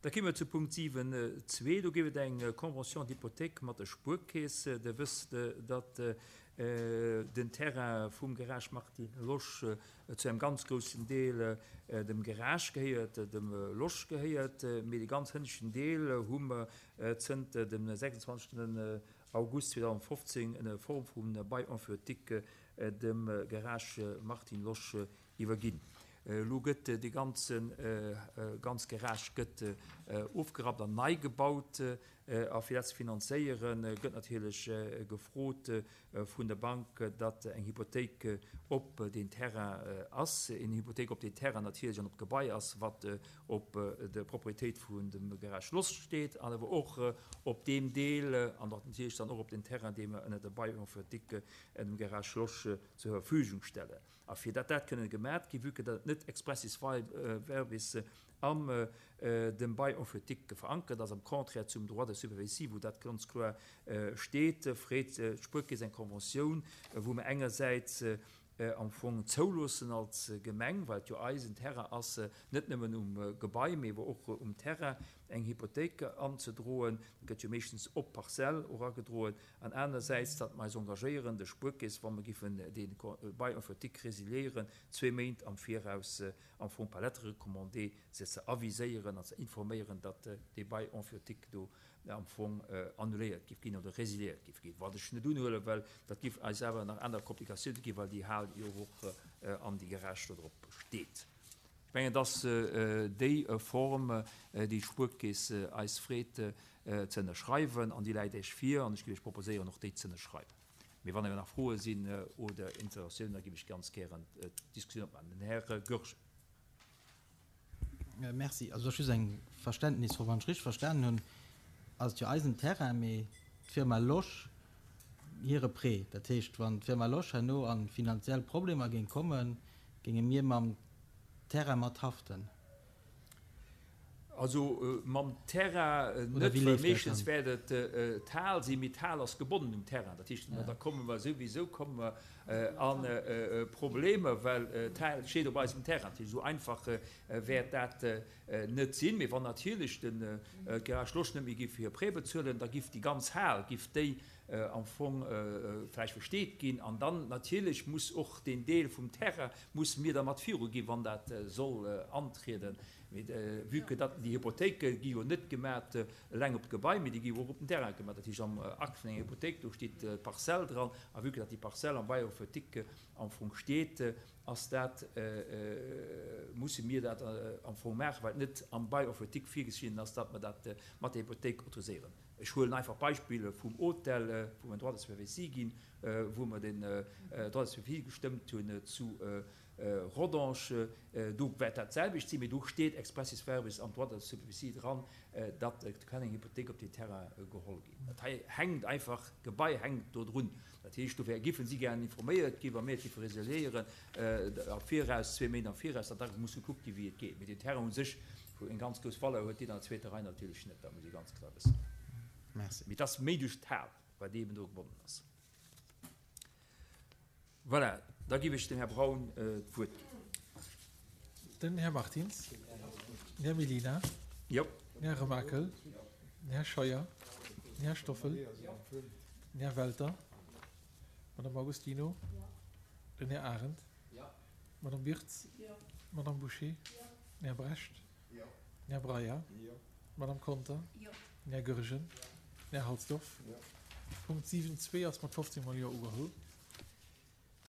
Da kéime mer zu Punkt 7, 2. Do géif et eng Convention d'hypothèque mat der Spuerkeess. Der wësst, datt den Terrain vum Garage Martine Losch zu engem ganz groussen Deel dem Garage gehéiert, dem Losch gehéiert. Mee dee ganz hënneschten Deel hu mer zënter dem 26. August 2015 ënner Form vum Bail emphytique dem Garage Martine Losch iwwerginn. Elo gëtt dee ganze ganz Garage gëtt ofgerappt an nei gebaut. A fir dat ze finanzéieren, gëtt natierlech gefrot vun der Bank, datt eng Hypothéik op deen Terrain ass, eng Hypothéik op deen Terrain natierlech an op d'Gebai ass, wat op der Propriétéit vun dem Garage Losch steet, an awer och op deem Deel an och natierlech dann och op den Terrain, dee mer ënner der Bail emphytique dem Garage Losch zur Verfügung stellen. A fir datt dat kënnen gemat ginn, vue que datt et net expressis verbis am dem Bail emphytique verankert ass, am Contraire zum Droit de superficie, wou dat ganz kloer steet, freet d'Spuerkeess eng Conventioun, wou mer engersäits am Fong zouloossen als Gemeng, well et jo eisen Terrain ass, net nëmmen um Gebai, mee awer och um Terrain eng Hypothéik anzedroen, dat gëtt jo meeschtens op d'Parzell och agedroen, An anersäits, datt mer eis engagéieren, de Spuerkeess, wa mer giffen dee Bail emphytique résiliéieren, zwee Méint am Viraus am Fong par lettre recommandée se ze aviséieren an ze informéieren, datt dee Bail emphytique do am Fong annuléiert giff ginn oder résiliéiert giff ginn. Wat ech net unhuelen, well dat giff eis awer nach aner Komplikatiounen ginn, well déi Hal jo och an déi Garage do drop steet. Ech mengen, et ass déi Form, déi d'Spuerkeess eis freet ze ënnerschreiwen, an déi läit Iech vir, an ech géif Iech proposéieren, och déi ze ënnerschreiwen. Mee wann awer nach Froe sinn oder Interrogatiounen, da géif ech ganz gären d'Diskussioun opmaachen. Den Här Goergen. Merci. Also just eng Verständnisfro. Wann ech richteg verstanen hunn, ass et jo eisen Terrain, mee d'Firma Losch hire Prêt. Dat heescht, wann d'Firma Losch herno a finanziell Problemer géing kommen, géinge mir mam Terrain mat haften? Also mam Terrain net, well meeschtens wäert et d'Hal sinn, mee d'Hal ass gebonnen um Terrain. Dat heescht, da komme mer souwisou komme mer a Problemer, well d'Hal steet op eisem Terrain. Dat heescht, esou einfach wäert dat net sinn. Mee wann natierlech de Garage Losch net méi giff hir Prêt bezuelen, da giff déi ganz Hal, giff déi am Fong vläicht versteet ginn. An dann natierlech muss och deen Deel vum Terrain, musse mir da mat viru ginn, wann dat soll antrieden. Mee vue que datt déi Hypothéike gi jo net gemat eleng op d'Gebai, mee déi gi jo och op den Terrain gemat. Dat heescht am Akt vun enger Hypothéik, do steet d'Parzell dran. A vue que datt déi Parzell am Bail emphytique am Fong steet, ass dat, musse mir dat am Fong maachen, well et net am Bail emphytique virgeschriwwen ass, datt mer dat mat der Hypothéik autoriséieren. Ech huelen einfach d'Beispill vum Hotel, wou mer en Droit de superficie ginn, wou mer den Droit de superficie gestëmmt hunn zu Rodange. Do wäert dat d'selwecht sinn, mee do steet expressis verbis am Droit de superficie dran, datt kann eng Hypothéik op deen Terrain geholl ginn. Dat hei hänkt einfach, d'Gebai hänkt do drun. Dat heescht, dofir géife si gären informéiert ginn, wa mir et géife resiliéieren, am Viraus, zwee Méint am Viraus, datt da muss gekuckt ginn, wéi et geet. Mee den Terrain u sech, wou eng ganz grouss Valeur huet, deen an der zweeter Rei natierlech net, dat muss ee ganz kloer wëssen. Merci. Mee et ass méi duerch d'Hal, well déi eben do gebonnen ass. Voilà, da géif ech dem Här Braun d'Wuert ginn. Den Här Martins, den Här Mellina, den Här Remakel, den Här Scheuer, den Här Stoffel, den Här Welter, d'Madame Agostino, den Här Arendt, d'Madame Wirtz, d'Madame Bouché, den Här Brecht, den Här Breyer, d'Madame Conter, den Här Goergen, den Här Halsdorf. Punkt 7.2 ass mat 15 mol Jo ugeholl.